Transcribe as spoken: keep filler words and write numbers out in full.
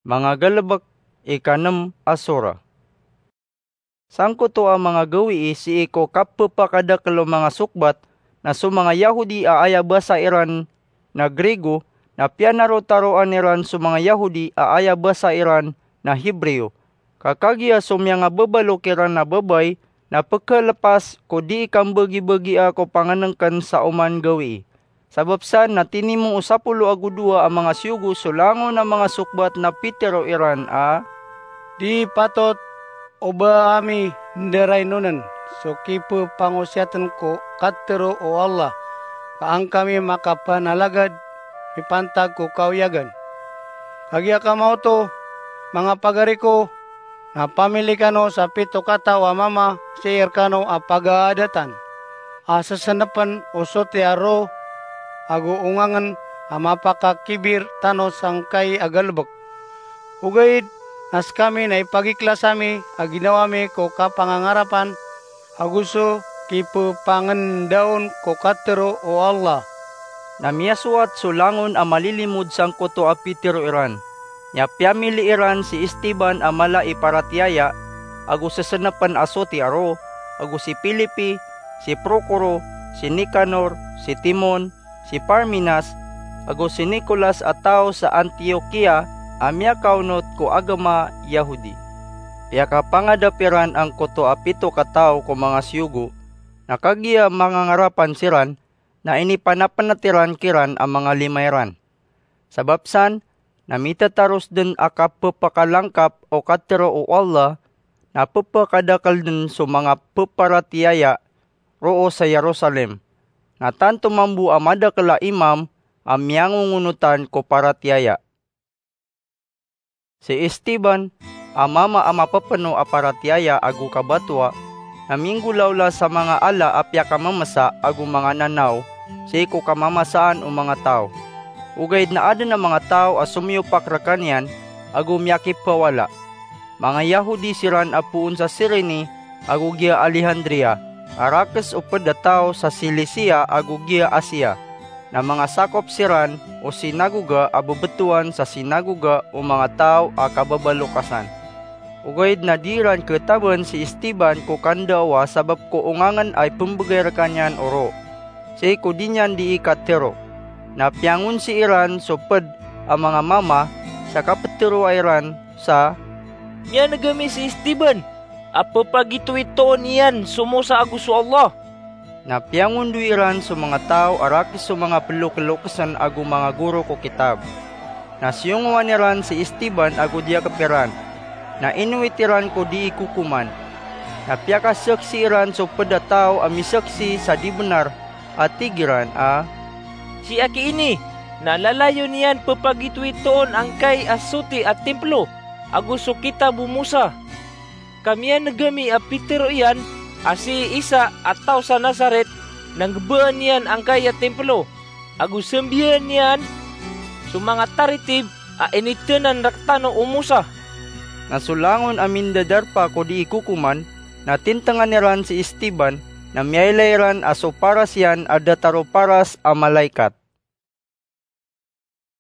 Manga Galebek, ikanem a sura. Sangkoto a manga gawii sii ko kapepakadakel o manga sokbat, na so manga Yahudi a aya basa iran na Grigo, na piyanarotaroan iran so manga Yahudi a aya basa iran na Hebreo. Ka kagiya so miyangababalo kiran a babay na pekelepas ko dii kambagibagia ko pangenengken sa oman gawii. Sabap san na tinimo o sapolo ago dowa a manga siyogo so langon a manga sokbat na pitero iran a, "Di patot o ba ami ndarainonen so kipepangosiaten ko katero o Allah, ka an kami makapanalagad mipantag ko kaoyagan. Kagiya kama oto, manga pagari ko, na pamili kano sa pito kataw a mama sii rekano a pagaadatan, a sesenepen o soti a roo ago ongangen a mapakakibir tano sangkai a galebek. Ogaid na sekami na ipagiklas ami a ginawa mi ko kapangangarapan ago so kipepangendaon ko katero o Allah." Na miyasowat so langon a malilimod sangkoto a pitero iran. Nya piyamili iran si Esteban a mala i paratiyaya ago sesenepen a soti a roo, ago si Filipi, si Prokoro, si Nikanor, si Timon, si Parmenas, ago si Nicolas a taw sa Antiokia a miyakaonot ko agama Yahudi. Piyakapangadap iran angkoto a pito kataw ko manga siyogo, na kagiya mangangarapan siran, na inipanapenet iran kiran a manga lima iran. Sabap san, na mitataros den a kapepakalangkap o katero o Allah, na pepakadakel den so manga peparatiyaya roo sa Jerusalem. Na tanto mambo a madakel a imam a miyangongonotan ko paratiyaya. Si Esteban, a mama a mapepeno a paratiyaya ago kabatoa, na minggolawla sa manga ala a piyakamemesa ago manga nanaw sii ko kamamasaan o manga taw. Ogaid na aden a manga taw a somiyopak rekaniyan ago miyakipawala. Manga Yahudi siran a poon sa Cirene ago giya Alejandria, a rakes o ped a taw sa Cilicia ago giya Asia. Na mangasakop siran o sinagoga a bebetowan sa sinagoga o manga taw a kababalokasan. Ogaid na di iran ketaben si Esteban ko kandaowa sabap ko ongangen a ipembegay rekaniyan o roo sii ko di niyan dii katero. Na piyangonsi iran so ped a manga mama sa kapeteroa iran sa, "Miyaneg ami si Esteban a pepagitoitoon iyan so Mosa ago so Allah." Na piyangondoy iran so manga taw a rakes o manga pelokelokesen ago manga goro ko kitab. Na siyongowan iran si Esteban ago diyakep iran. Na inowit iran ko dii kokoman. Na piyakasaksi iran so ped a taw a misaksi sa di benar a tig iran a, "Si aki ini na lalayon iyan pepagitoitoon angkai a soti a timplo ago so kitab o Mosa. Ka miyaneg ami a pitero iyan a si Isa a taw sa Nazaret na nggebaan iyan angkai a timplo ago sambiyan iyan so manga taritib a initenan rektano o Mosa." Na so langon a mindadarpa ko dii kokoman na tintengan iran si Esteban, na miyailay iran a so paras iyan a datar o paras a malaikat.